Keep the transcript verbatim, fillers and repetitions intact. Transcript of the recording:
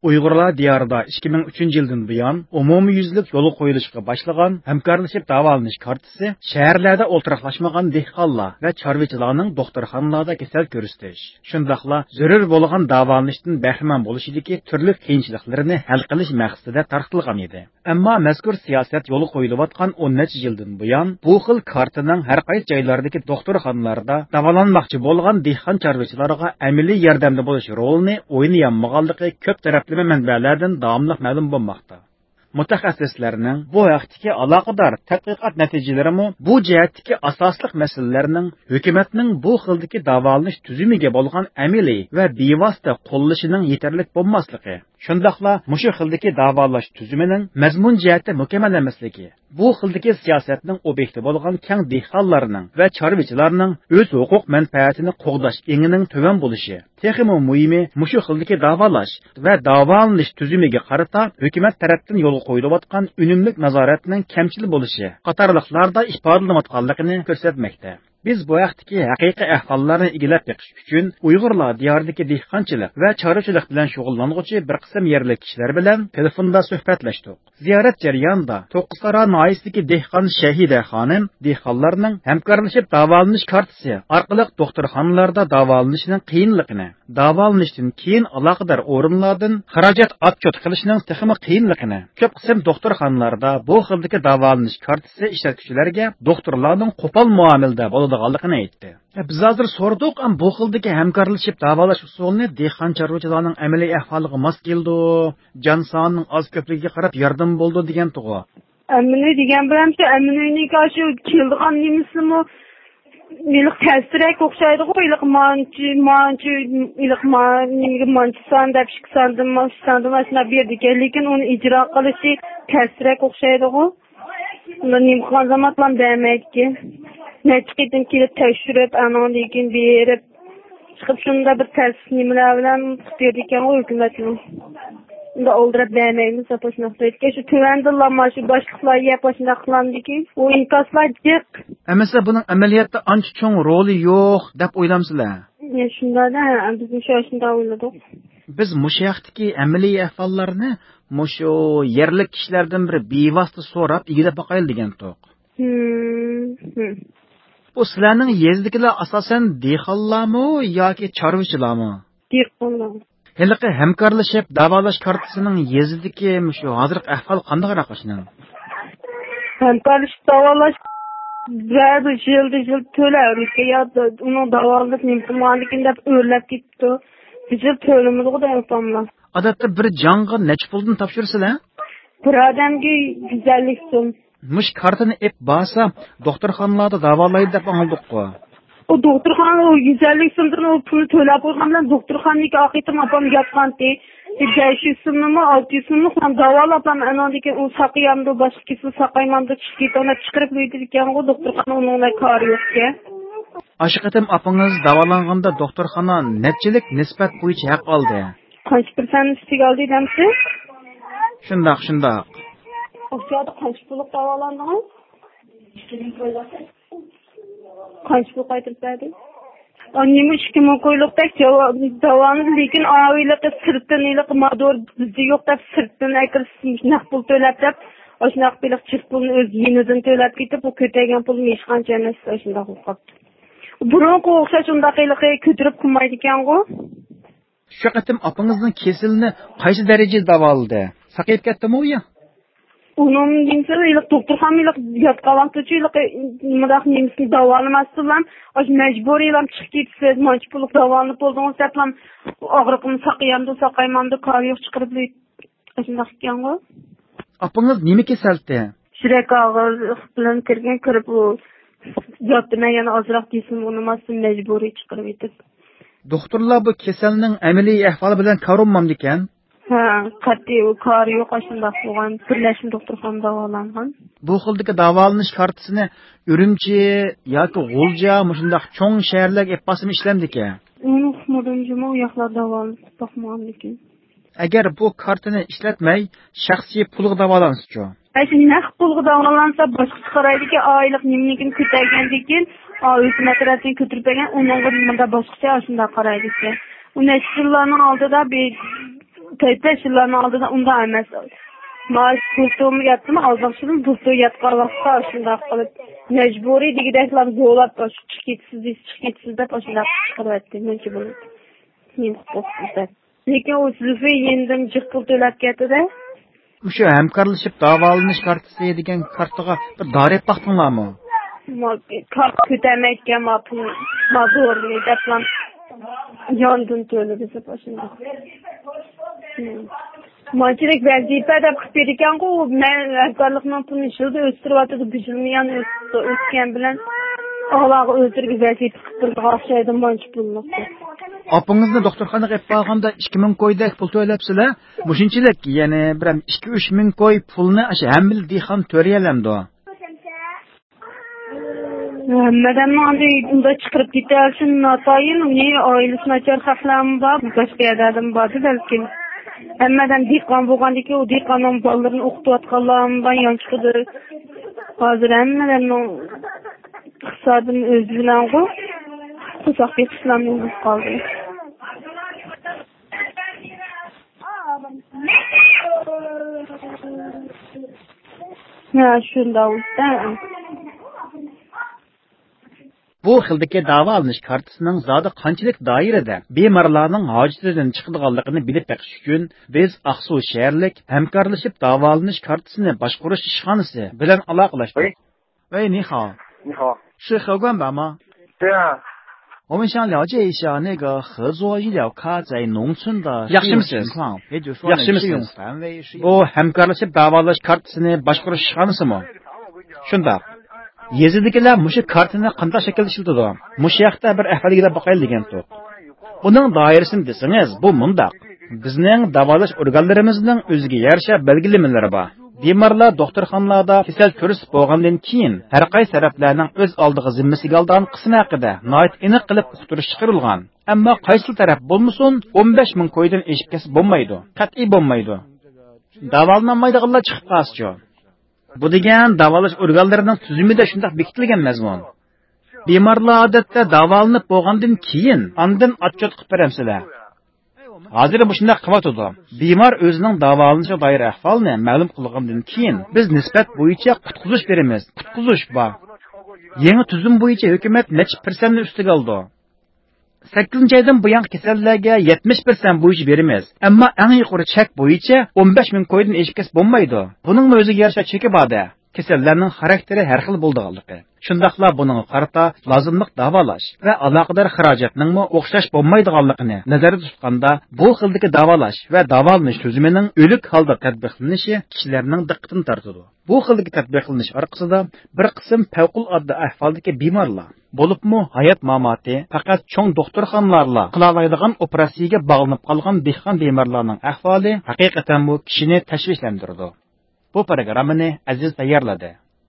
ئۇيغۇرلار دىيارىدا ئىككى مىڭ ئۈچىنچى يىلدىن بۇيان ئومۇميۈزلۈك يولغا قويۇلۇشقا باشلىغان ھەمكارلىشىپ داۋالىنىش كارتىسى شەھەرلەردە ئولتۇراقلاشمىغان دېھقانلار ۋە چارۋىچىلارنىڭ دوختۇرخانىلاردا كېسەل كۆرسىتىش، شۇنداقلا زۆرۈر بولغان داۋالىنىشتىن بەھرىمەن بولۇشىدىكى تۈرلۈك قىيىنچىلىقلىرىنى ھەل قىلىش مەقسىتىدە تارقىتىلغان ئىدى. ئەمما مەزكۇر سىياسەت يولغا قويۇلۇۋاتقان ئون نەچچە يىلدىن بۇيان، بۇ خىل كارتىنىڭ ھەر قايسى جايلاردىكى دوختۇرخانىلاردا داۋالانماقچى بولغان دېھقان چارۋىچىلارغا ئەمەلىي ياردەمدە بولۇش رولىنى ئوينىيالمىغانلىقى كۆپ تەرەپلىمە مەنبەلەردىن داۋاملىق مەلۇم بولماقتا. مۇتەخەسسىسلەرنىڭ بۇ ھەقتىكى ئالاقىدار تەتقىقات نەتىجىلىرىمۇ بۇ جەھەتتىكى ئاساسلىق مەسىلىلەرنىڭ ھۆكۈمەتنىڭ بۇ خىلدىكى داۋالىنىش تۈزۈمىگە بولغان ئەمەلىي ۋە بىۋاسىتە قوللىشىنىڭ يېتەرلىك بولماسلىقى، شۇنداقلا مۇشۇ خىلدىكى داۋالاش تۈزۈمىنىڭ مەزمۇن جەھەتتە مۇكەممەل ئەمەسلىكى، بۇ خىلدىكى سىياسەتنىڭ ئوبيېكتى بولغان كەڭ دېھقانلارنىڭ ۋە چارۋىچىلارنىڭ ئۆز ھوقۇق مەنپەئەتىنى قوغداش ئېڭىنىڭ تۆۋەن بولۇشى، تېخىمۇ مۇھىمى، مۇشۇ خىلدىكى داۋالاش ۋە داۋالىنىش تۈزۈمىگە قارىتا ھۆكۈمەت تەرەپتىن يولغا قويۇلۇۋاتقان ئۈنۈملۈك نازارەتنىڭ كەمچىل بولۇشى قاتارلىقلاردا ئىپادىلىنىۋاتقانلىقىنى كۆرسەتمەكتە. بىز بۇ ھەقتىكى ھەقىقىي ئەھۋاللارنى ئىگىلەپ بېقىش ئۈچۈن ئۇيغۇرلار دىيارىدىكى دېھقانچىلىق ۋە چارۋىچىلىق بىلەن شۇغۇللانغۇچى بىر قىسىم يەرلىك كىشىلەر بىلەن تېلېفوندا سۆھبەتلەشتۇق. زىيارەت جەريانىدا توققۇزتارا ناھىيەسىدىكى دېھقان شەھىدە خانىم دېھقانلارنىڭ ھەمكارلىشىپ داۋالىنىش كارتىسى ئارقىلىق دوختۇرخانىلاردا داۋالىنىشنىڭ قىيىنلىقىنى، داۋالىنىشتىن كېيىن ئالاقىدار ئورۇنلاردىن خىراجەت ئاتچوت قىلىشنىڭ تېخىمۇ قىيىنلىقىنى، كۆپ قىسىم دوختۇرخانىلاردا بۇ خىلدىكى داۋالىنىش كارتىسى ئىشلەتكۈچىلەرگە دوختۇرلارنىڭ قوپال مۇئامىلىدە بولىدىغانلىقىنى ئېيتتى. بىز ھازىر سورىدۇق، ئەم، بۇ خىلدىكى ھەمكارلىشىپ داۋالاش ئۇسۇلىنى دېھقان چارۋىچىلارنىڭ ئەمەلىي ئەھۋالىغا ماس كېلىدۇ، جان سانىنىڭ ئاز كۆپلۈكىگە قاراپ ياردىمى بولىدۇ دېگەنتىغۇ. ئەمىنى دېگەن بىلەن شۇ ئەمىنىنىڭكى شۇ كېلىدىغان نېمىسىمۇ ھېلىقى تەستىرەك ئوخشايدىغۇ، ھېلىقى مانچە، مانچە، ھېلىقى ما-، نېمىگە مانچە سان دەپ ئىككى ساندىن ما-، ئۈچ ساندىن ئاشۇنداق بېرىدىكەن، لېكىن ئۇنى ئىجرا قىلىشى تەستىرەك ئوخشايدىغۇ. ئۇنى نېمە قىلغان زامانلام بەرمەيدىكەن. نەچچە قېتىم كېلىپ تەكشۈرۈپ، ئانىڭدىن كېيىن بېرىپ، چىقىپ شۇنداق بىر تەس نېمىلەر بىلەن قىلىپ بېرىدىكەنغۇ ھۆكۈمەتمۇ. ئۇنداق ئالدىراپ بەرمەيمىز دەپ ئاشۇنداق دەيدىكەن. شۇ تۆۋەندىنلا مانا شۇ باشلىقلار يەپ ئاشۇنداق قىلامدىكىن. ئۇ ئىنكاسلار جىق. ئەمىسە بۇنىڭ ئەمەلىيەتتە ئانچە چوڭ رولى يوق دەپ ئويلامسىلەر؟ يا شۇنداق-دە، بىزمۇ شۇ ئاشۇنداق ئويلىدۇق. بىز مۇشۇ ھەقتىكى ئەمەلىي ئەھۋاللارنى مۇشۇ يەرلىك كىشىلەردىن بىر بىۋاسىتە سوراپ ئىگىلەپ باقايلى دېگەنتۇق. ھىم، ھىم. بۇ سىلەرنىڭ يېزىدىكىلەر ئاساسەن دېھقانلارمۇ ياكى چارۋىچىلارمۇ؟ دېھقانلار. ھېلىقى ھەمكارلىشىپ داۋالاش كارتىسىنىڭ يېزىدىكى مۇشۇ ھازىرقى ئەھۋال قانداقراق ئاشۇنىڭ؟ ھەمكارلىشىپ داۋالاش بەزى يىلدا يىل تۆلەۋېرىدىكەن، يا ئۇنىڭ داۋالىنىپ نېمە قىلمىغاندىكىن دەپ ئۆرلەپ كېتىپتۇ. بىر يىل تۆلىمىدىغۇ دەپ ئاپاملا. ئادەتتە بىر جانغا نەچچە پۇلدىن تاپشۇرىسىلەر؟ بىر ئادەمگە يۈز ئەللىك سوم. مۇشۇ كارتىنى ئېپ بارسا، دوختۇرخانىلاردا داۋالايدۇ دەپ ئاڭلىدۇققۇ. ئۇ دوختۇرخانا ئۇ يۈز ئەللىك سومدىن ئۇ پۇلنى تۆلەپ قويغان بىلەن دوختۇرخانىدىكى ئاقىتىم ئاپام ياتقانتى. بەش يۈز سومنىمۇ، ئالتە يۈز سومنى داۋالاپ ئانىڭدىن كېيىن ئۇ ساقىيامدۇ، باشقا كېسىل ساقايمامدۇ، چىقىپ كېتىڭ دەپ چىقىرىپ يۈرىدىكەنغۇ، دوختۇرخانا ئۇنىڭ بىلەن كارى يوقكەن. ئاشۇ قېتىم ئاپىڭىز داۋالانغاندا دوختۇرخانا نەچچىلىك نىسبەت بويىچە ھەق ئالدى؟ قانچە پىرسەنت ئۈستىگە ئالدى دەمسىز؟ شۇنداق، شۇنداق. ئۇ چاغدا قانچە پۇللۇق داۋالاندىڭىز؟ قانچە پۇل قايتۇرۇپ بەردى؟ ئا، نېمە ئىككى مىڭ كويلۇق بەك جاۋا-، داۋالىدى، لېكىن ئاۋىلىقى سىرتتىن ھېلىقى مادور بىزدە يوق دەپ، سىرتتىن ئەكىرىپ نەق پۇل تۆلەپ دەپ، ئاشۇنداق بېلىق جىق پۇلنى ئۆز يېنىدىن تۆلەپ كېتىپ، ئۇ كۆتەرگەن پۇلمۇ ھېچقانچە ئەمەس، ئاشۇنداق بولۇپ قاپتۇ. بۇرۇنقىغا ئوخشاش ئۇنداق ھېلىقى كۆتۈرۈپ قىلمايدىكەنغۇ. شۇ قېتىم ئاپىڭىزنىڭ كېسىلىنى قايسى دەرىجىدە داۋالىدى؟ ساقىيىپ كەتتىمۇ ئۇ يا؟ ئۇنىڭ نېمىسى، ھېلىقى دوختۇرخانا ھېلىقى ياتقان ۋاقتىچۇ ھېلىقى مۇنداق نېمىسىنى داۋالىماستىنلا، ئاشۇ مەجبۇرىيلا چىقىپ كېتىسىز، مانچە پۇللۇق داۋالىنىپ بولدىڭىز دەپلا، ئاغرىقىم ساقىيامدۇ، ساقايمامدۇ، كارى يوق، چىقىرىپ ئاشۇنداق ئىكەنغۇ. ئاپىڭىز نېمە كېسەلتى؟ يۈرەك ئاغرىق بىلەن كىرگەن، كىرىپ ئۇ ياتتى، مەن يەنە ئازراق دېسىم ئۇنىماستىن مەجبۇرىي چىقىرىۋېتىپ. دوختۇرلار بۇ كېسەلنىڭ ئەمەلىي ئەھۋالى بىلەن كارىلمامدىكەن؟ ھە، قەتئىي ئۇ كارى يوق، ئاشۇنداق بولغان، بىرلەشمە دوختۇرخانىدا داۋالانغان. بۇ خىلدىكى داۋالىنىش كارتىسىنى ئۈرۈمچى ياكى غۇلجا مۇشۇنداق چوڭ شەھەرلەرگە ئېلىپ بارسىمۇ ئىشلەمدىكەن؟ ئۇنى ئۇقمىدىم جۇمۇ، ئۇ ياقلاردا داۋالىنىپ باقمىغاندىكىن. ئەگەر بۇ كارتىنى ئىشلەتمەي، شەخسىي پۇلغا داۋالانسىچۇ؟ ئەشۇ نەق پۇلغا داۋالانسا باشقىچە قارايدىكەن، ئايلىق نېمىنىكىنى كۆتەرگەندىن كېيىن، ئا، ھۆكۈمەت تەرەپتىن كۆتۈرۈپ بەرگەن، ئۇنىڭغا مۇنداق باشقىچە ئاشۇنداق قارايدىكەن. ئۇ نەچچە يىللارنىڭ ئالدىدا بىر تۆت بەش يىللارنىڭ ئالدىدا ئۇنداق ئەمەس. مانا پۇل تومۇ ياتتىمۇ، ئالدىنقى يىلى پۇل تومۇ ياتقان ۋاقىتتا شۇنداق قىلىپ، مەجبۇرىي دېگۈدەكلا زورلاپ، «چىقىپ كېتىسىز» دېسە، «چىقىپ كېتىسىز» دەپ، ئاشۇنداق چىقىرىۋەتتى. مۇنچە بولۇپ، نېمە قىلىپ بولىسىز دەپ. لېكىن ئۇ زۇلفى يېنىدىن جىق پۇل تۆلەپ كەتتى-دە. مۇشۇ ھەمكارلىشىپ داۋالىنىش كارتىسى دېگەن كارتىغا بىر دارىپ باقتىڭلارمۇ؟ ما-، كارت كۆتەرمەيدىكەن، ما پۇل، ما زورنى دەپلا ياندىن تۆلىدى دەپ ئاشۇنداق. مانچىلىك ۋەزىپە دەپ قىلىپ بېرىدىكەنغۇ، مەن ھەمكارلىقنىڭ پۇلىنى يىلدا ئۆستۈرۈۋاتىدۇ، بۇ يىلمۇ يەنە ئۆس-، ئۆسكەن بىلەن ئالاغا ئۆزلىرىگە ۋەزىپە قىلىپ بېرىدىغان ئوخشايدۇ، مانچە پۇللۇق. ئاپىڭىزنى دوختۇرخانىغا ئېلىپ بارغاندا ئىككى مىڭ كويدەك پۇل تۆلەپسىلەر. مۇشۇنچىلىك، يەنى بىر ئىككى ئۈچ مىڭ كوي پۇلنى ئاشۇ ھەممىلا دېھقان تۆلىيەلەمدۇ؟ ھەممە ئادەمنىڭ ئاندى ئۇنداق چىقىرىپ كېتەلىشى ناتايىن، ئۇنى ئائىلىسى ناچار خەقلەرمۇ بار، باشقا يەرلەردىمۇ باردى بەلكىم. ھەممە ئادەم دېھقان بولغاندىكىن، ئۇ دېھقاننىڭ بالىلىرىنى ئوقۇتۇۋاتقانلارمۇ بار، يانچۇقىدا. ھازىر ھەممە ئادەمنىڭ ئىقتىسادىنى ئۆزى بىلەنغۇ، قورساق بېقىشلارمۇ بولۇپ قالدى. ھە، شۇنداق. بۇ خىلدىكى داۋالىنىش كارتىسىنىڭ زادى قانچىلىك دائىرىدە بىمارلارنىڭ ھاجىتىدىن چىقىدىغانلىقىنى بىلىپ بېقىش ئۈچۈن، بىز ئاقسۇ شەھەرلىك ھەمكارلىشىپ داۋالىنىش كارتىسىنى باشقۇرۇش ئىشخانىسى بىلەن ئالاقىلەشتۇق. ۋەي. 喂，你好。你好。是何冠宝吗？对啊。我们想了解一下那个合作医疗卡在农村的使用情况，也就是说呢，适用范围是有多大。 ياخشىمۇسىز؟ بۇ ھەمكارلىشىپ داۋالاش كارتىسىنى باشقۇرۇش ئىشخانىسىمۇ؟ شۇنداق. يېزىدىكىلەر مۇشۇ كارتىنى قانداق شەكىلدە ئىشلىتىدۇ؟ مۇشۇ ياقتا بىر ئەھۋال ئىگىلەپ باقايلى دېگەنتۇق. ئۇنىڭ دائىرىسىنى دېسىڭىز، بۇ مۇنداق. بىزنىڭ داۋالاش ئورگانلىرىمىزنىڭ ئۆزىگە يارىشا بەلگىلىمىلىرى بار. بىمارلار دوختۇرخانىلاردا كېسەل كۆرسىتىپ بولغاندىن كېيىن، ھەر قايسى تەرەپلەرنىڭ ئۆز ئالدىغا زىممىسىگە ئالىدىغان قىسمى ھەققىدە ناھايىتى ئېنىق قىلىپ ئۇقتۇرۇش چىقىرىلغان. ئەمما قايسىلا تەرەپ بولمىسۇن، ئون بەش مىڭ كويدىن ئېشىپ كەتسە بولمايدۇ. قەتئىي بولمايدۇ. داۋالىنالمايدىغانلار چىقىپ قالسىچۇ؟ بۇ دېگەن داۋالاش ئورگانلىرىنىڭ تۈزۈمىدە شۇنداق بېكىتىلگەن مەزمۇن. بىمارلار ئادەتتە داۋالىنىپ بولغاندىن كېيىن، ئاندىن ئاتچوت قىلىپ بېرەمسىلەر. ھازىر مۇشۇنداق قىلىۋاتىدۇ. بىمار ئۆزىنىڭ داۋالىنىشىغا دائىر ئەھۋالنى مەلۇم قىلغاندىن كېيىن، بىز نىسبەت بويىچە قۇتقۇزۇش بېرىمىز. قۇتقۇزۇش بار. يېڭى تۈزۈم بويىچە ھۆكۈمەت نەچچە پىرسەنتنى ئۈستىگە ئالىدۇ. سەككىزىنچى ئايدىن بۇيانقى كېسەللەرگە يەتمىش پىرسەنت بويىچە بېرىمىز. ئەمما ئەڭ يۇقىرى چەك بويىچە ئون بەش مىڭ كويدىن ئېشىپ كەتسە بولمايدۇ. بۇنىڭمۇ ئۆزىگە يارىشا چېكى بار-دە. كېسەللەرنىڭ خاراكتېرى ھەر خىل بولىدىغانلىقى، شۇنداقلا بۇنىڭغا قارىتا لازىملىق داۋالاش ۋە ئالاقىدار خىراجەتنىڭمۇ ئوخشاش بولمايدىغانلىقىنى نەزەردە تۇتقاندا، بۇ خىلدىكى داۋالاش ۋە داۋالىنىش تۈزۈمىنىڭ ئۆلۈك ھالدا تەتبىقلىنىشى كىشىلەرنىڭ دىققىتىنى تارتىدۇ. بۇ خىلدىكى تەتبىقلىنىش ئارقىسىدا بىر قىسىم پەۋقۇلئاددە ئەھۋالدىكى بىمارلار، بولۇپمۇ ھايات ماماتى پەقەت چوڭ دوختۇرخانىلارلا قىلالايدىغان ئوپېراتسىيەگە باغلىنىپ قالغان دېھقان بىمارلارنىڭ ئەھۋالى ھەقىقەتەنمۇ كىشىنى تەشۋىشلەندۈرىدۇ. بۇ پروگراممىنى ئەزىز تەييارلىدى.